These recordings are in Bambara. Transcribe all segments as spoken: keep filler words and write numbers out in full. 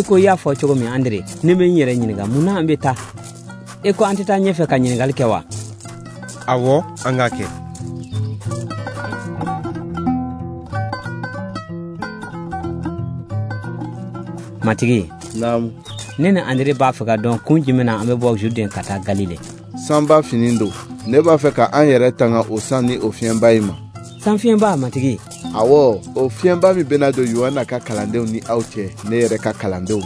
I ko i y'a fɔ cogo min Andre, ne bɛ n yɛrɛ ɲininka mun na an bɛ taa. E ko an tɛ taa ɲɛfɛ ka ɲininkali kɛ wa? Awɔ, an k'a kɛ. Matigi. Naamu. Ne ni Andre b'a fɛ ka dɔn kun jumɛn na an bɛ bɔ Juden ka taa Galile. Sanba fini don. Ne b'a fɛ ka an yɛrɛ tanga o san ni o fiɲɛba in ma. San fiɲɛba, Matigi? Awɔ, o fiɲɛba min bɛna don Yohana ka kalandenw ni aw cɛ, ne yɛrɛ ka kalandenw.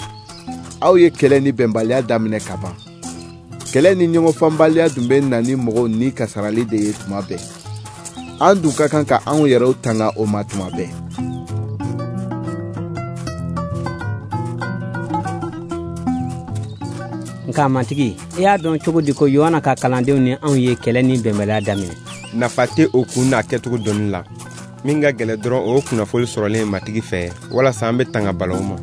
Aw ye kɛlɛ ni bɛnbaliya daminɛ ka ban. Kɛlɛ ni ɲɔgɔnfanbaliya dun bɛ na ni mɔgɔw ni kasarali de ye tuma bɛɛ. An dun ka kan ka anw yɛrɛw tanga o ma tuma bɛɛ. Nka Matigi, i y'a dɔn cogo di ko Yohana ka kalandenw ni anw ye kɛlɛ ni bɛnbaliya daminɛ? Nafa tɛ o kun n'a kɛcogo dɔnni la. Min ka gɛlɛn dɔrɔn o ye kunnafoni sɔrɔlen Matigi fɛ walasa an bɛ tanga balawu ma.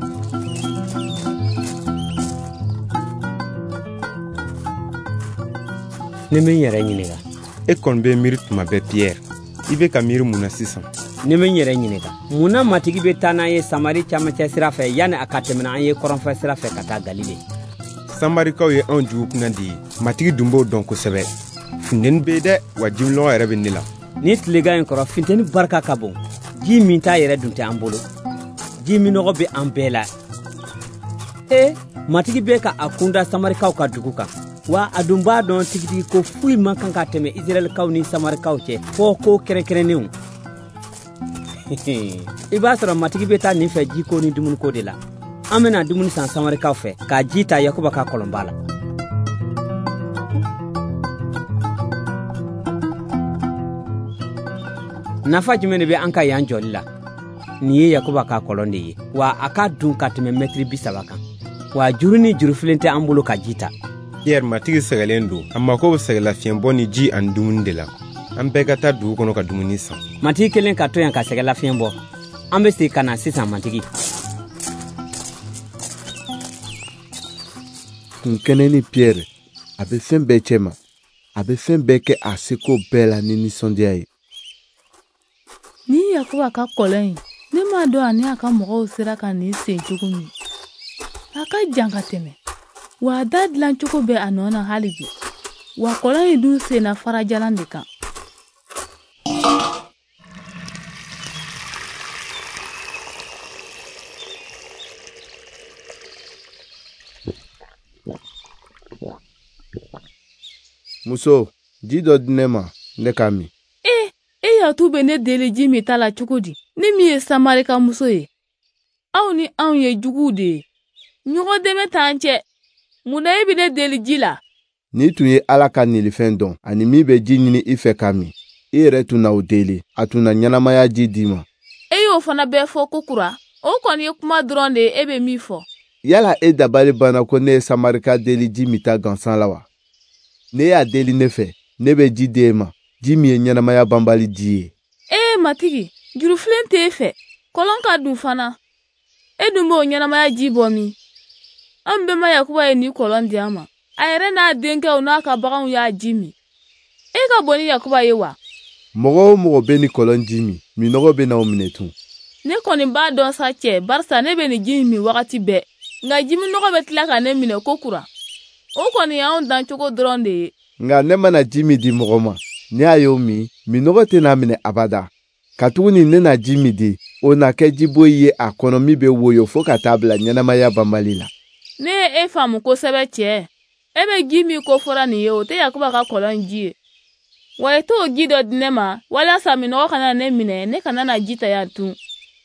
Ne bɛ n yɛrɛ ɲininka. E kɔni bɛ miiri tuma bɛɛ Pierre. I bɛ ka miiri mun na sisan? Ne bɛ n yɛrɛ ɲininka. Mun na Matigi bɛ taa n'an ye Samari camancɛ sira fɛ yanni a ka tɛmɛ an ye kɔrɔnfɛ sira fɛ ka taa Galile? Samarikaw ye anw jugu kunna de ye. Matigi dun b'o dɔn kosɛbɛ. Funteni bɛ yen dɛ, wa jiminɔgɔ yɛrɛ bɛ ne la. Ni tilegan in kɔrɔ, funteni barika ka bon. Ji min t'a yɛrɛ dun tɛ an bolo. Ji minɔgɔ bɛ an bɛɛ la. E, Matigi bɛ ka a kunda Samarikaw ka dugu kan. Wa a dun b'a dɔn tigitigi ko foyi man kan ka tɛmɛ Israɛlkaw ni Samarikaw cɛ fɔ ko kɛrɛnkɛrɛnnenw. I b'a sɔrɔ Matigi bɛ taa nin fɛ jiko ni dumuniko de la. An bɛna dumuni san Samarikaw fɛ ka ji ta Yakuba ka kɔlɔnba la. Nafa jumɛn de bɛ an ka yan jɔli la? Nin ye Yakuba ka kɔlɔn de ye, wa a ka dun ka tɛmɛ mɛtiri bi saba kan. Wa juru ni jurufilen tɛ an bolo ka ji ta. Pierre, Matigi sɛgɛlen don. A mako bɛ sɛgɛlafiɲɛbɔ ni ji ani dumuni de la. An bɛɛ ka taa dugu kɔnɔ ka dumuni san. Matigi kelen ka to yan ka sɛgɛlafiɲɛ bɔ. An bɛ segin ka na sisan, Matigi. Kun kɛnɛ ni Pierre, a bɛ fɛn bɛɛ cɛ ma. A bɛ fɛn bɛɛ kɛ a seko bɛɛ la ni nisɔndiya ye. Ni Yakuba ka kɔlɔn in, ne m'a dɔn ani a ka mɔgɔw sera ka nin sen cogo min. A ka jan ka tɛmɛ. Wa a da dilan cogo bɛ a nɔ na hali bi. Wa kɔlɔn in dun senna farajalan de kan. Muso, ji dɔ di ne ma, ne ka min. E, e yatu bɛ ne deli ji min ta la cogo di? Ne min ye Samarika muso ye. Aw ni anw ye juguw de ye. Ɲɔgɔn dɛmɛ t'an cɛ. Mun na e bɛ ne deli ji la? N'i tun ye Ala ka nilifɛn dɔn ani min bɛ ji ɲini i fɛ ka min, i yɛrɛ tun na o deli, a tun na ɲɛnamaya ji d'i ma. E y'o fana bɛɛ fɔ ko kura. O kɔni ye kuma dɔrɔn de ye e bɛ min fɔ. Yala e dabali banna ko ne ye Samarika deli ji min ta gansan la wa? Ne y'a deli ne fɛ, ne bɛ ji di e ma, ji min ye ɲɛnamaya banbali ji ye. Ee Matigi, jurufilen t'e fɛ, kɔlɔn ka dun fana. E dun b'o ɲɛnamaya ji bɔ min? An bɛnba Yakuba ye nin kɔlɔn di an ma. A yɛrɛ n'a denkɛw n'a ka baganw y'a ji min. E ka bon ni Yakuba ye wa? Mɔgɔ o mɔgɔ bɛ nin kɔlɔn ji min, minnɔgɔ bɛ n'aw minɛ tun. Ne kɔni b'a dɔn sa cɛ, barisa ne bɛ nin ji min wagati bɛɛ. Nka jiminɔgɔ bɛ tila ka ne minɛ ko kura. O kɔni y'anw dancogo dɔrɔn de ye. Nka ne mana ji min di mɔgɔ ma, ne y'a y'o min, minnɔgɔ tɛna minɛ abada. Katuguni ne na ji min di, o na kɛ jiboyi ye a kɔnɔ min bɛ woyo fo ka taa bila ɲɛnamaya banbali la. Ne ye e faamu kosɛbɛ cɛ. E bɛ ji min ko fɔra nin ye, o tɛ Yakuba ka kɔlɔn ji ye. Wa i t'o ji dɔ di ne ma, walasa minnɔgɔ kana ne minɛ, ne kana na ji ta yan tun.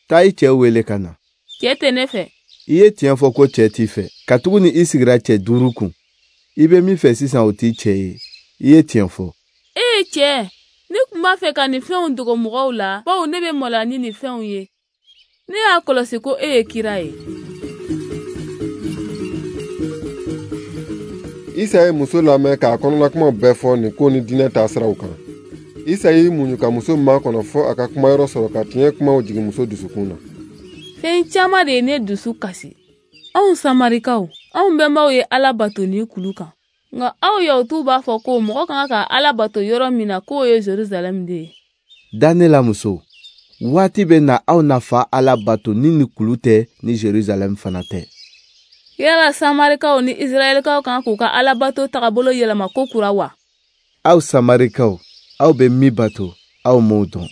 Taa i cɛ wele ka na. Cɛ tɛ ne fɛ. I ye tiɲɛ fɔ ko cɛ t'i fɛ, katuguni i sigira cɛ duuru kun. I bɛ min fɛ sisan o t'i cɛ ye. I ye tiɲɛ fɔ. Ee cɛ, ne tun b'a fɛ ka nin fɛnw dogo mɔgɔw la, bawo ne bɛ maloya ni nin fɛnw ye. Ne y'a kɔlɔsi ko e ye kira ye. Isa ye muso lamɛn k'a kɔnɔnakumaw bɛɛ fɔ nin ko ni diinɛ taasiraw kan. Isa y'i muɲu ka muso makɔnɔ fɔ a ka kumayɔrɔ sɔrɔ ka tiɲɛ kumaw jigin muso dusukun na. Fɛn caman de ye ne dusu kasi. Anw Samarikaw, anw bɛnbaw ye Ala bato ni kulu kan. Nka aw Yahutuw b'a fɔ ko mɔgɔ kan ka Ala bato yɔrɔ min na k'o ye Jerusalɛm de ye. Da ne la muso, waati bɛ na aw na fa Ala bato ni ni kulu tɛ ni Jerusalɛm fana tɛ. Yala Samarikaw ni Israɛlikaw kan k'u ka alabato tagabolo yɛlɛma ko kura wa? Aw Samarikaw, aw bɛ min bato, aw m'o dɔn.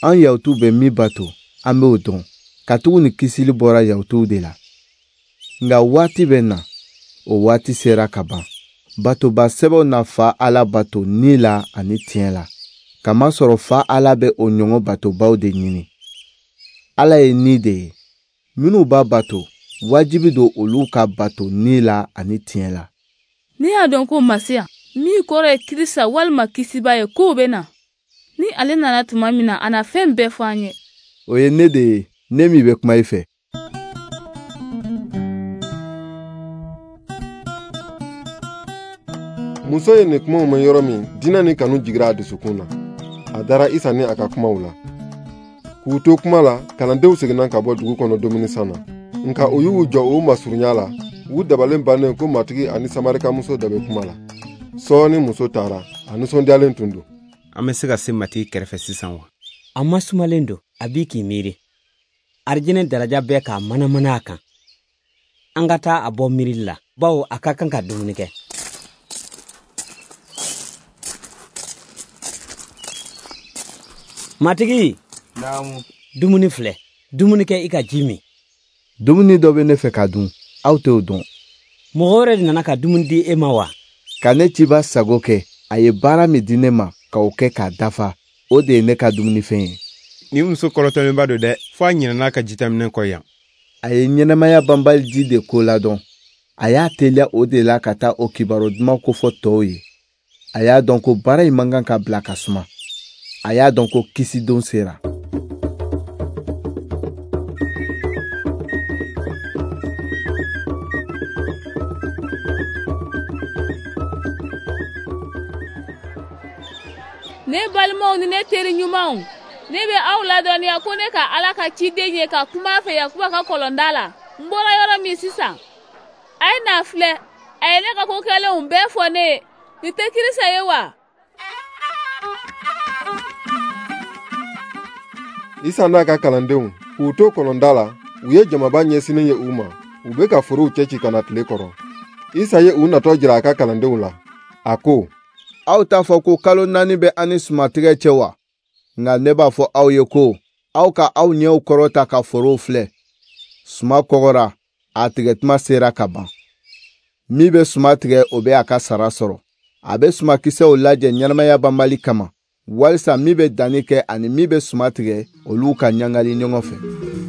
An Yahutuw bɛ min bato, an b'o dɔn, katuguni kisili bɔra Yahutuw de la. Nka waati bɛ na, o waati sera ka ban. Batoba sɛbɛw na fa Ala bato ni la ani tiɲɛ la, kamasɔrɔ fa Ala bɛ o ɲɔgɔn batobaw de ɲini. Ala ye ni de ye. Minnu b'a bato, wajibi don olu ka bato ni la ani tiɲɛ la. Ne y'a dɔn ko Masiya, min kɔrɔ ye Kirisa walima Kisiba ye, k'o bɛ na. Ni ale nana tuma min na, a na fɛn bɛɛ fɔ an ye. O ye ne de ye, ne min bɛ kuma i fɛ. Muso ye nin kumaw mɛn yɔrɔ min, diinɛ ni kanu jigira a dusukun na. A dara Isa ni a ka kumaw la. K'u to kuma la, kalandenw seginna ka bɔ dugu kɔnɔ dumuni san na. Nka u y'u jɔ u masurunya la, u dabalen bannen ko Matigi ani Samarikamuso dɔ bɛ kuma la. Sɔɔni muso taara, a nisɔndiyalen tun don. An bɛ se ka se Matigi kɛrɛfɛ sisan wa? A masumalen don, a b'i k'i miiri. Arijinɛ daraja bɛ k'a manamana a kan. An ka taa a bɔ miirili la, bawo a ka kan ka dumuni kɛ. Matigi! Naamu. Dumuni filɛ, dumuni kɛ i ka ji min. Dumuni dɔ bɛ ne fɛ ka dun, aw t'o dɔn. Mɔgɔ wɛrɛ de nana ka dumuni di e ma wa? Ka ne ciba sago kɛ, a ye baara min di ne ma k'o kɛ k'a dafa, o de ye ne ka dumunifɛn ye. Nin muso kɔrɔtɔlenba don dɛ, fo a ɲinɛna ka jitaminɛ kɔ yan. A ye ɲɛnamaya banbali ji de ko ladɔn. A y'a teliya o de la ka taa o kibaru duman kofɔ tɔw ye. A y'a dɔn ko baara in man kan ka bila ka suma. A y'a dɔn ko kisidon sera. Ne balimaw ni ne teri ɲumanw, ne bɛ aw ladɔnniya ko ne ka Ala ka ciden ye ka kuma a fɛ Yakuba ka kɔlɔnda la. N bɔra yɔrɔ min sisan, a ye n'a filɛ, a ye ne ka ko kɛlenw bɛɛ fɔ ne ye. Nin tɛ Kirisa ye wa? Isa n'a ka kalandenw k'u to kɔlɔnda la, u ye jamaba ɲɛsinnen ye u ma. U bɛ ka forow cɛci ka na tile kɔrɔ. Isa ye u natɔ jira a ka kalandenw la. A ko: Aw t'a fɔ ko kalo naani bɛ an ni sumatigɛ cɛ wa? Nka ne b'a fɔ aw ye ko aw ka aw ɲɛw kɔrɔta ka forow filɛ. Suma kɔgɔra, a tigɛtuma sera ka ban. Min bɛ suma tigɛ, o bɛ a ka sara sɔrɔ. A bɛ sumakisɛw lajɛ ɲɛnamaya banbali kama, walisa min bɛ danni kɛ ani min bɛ suma tigɛ, olu ka ɲagali ɲɔgɔn fɛ.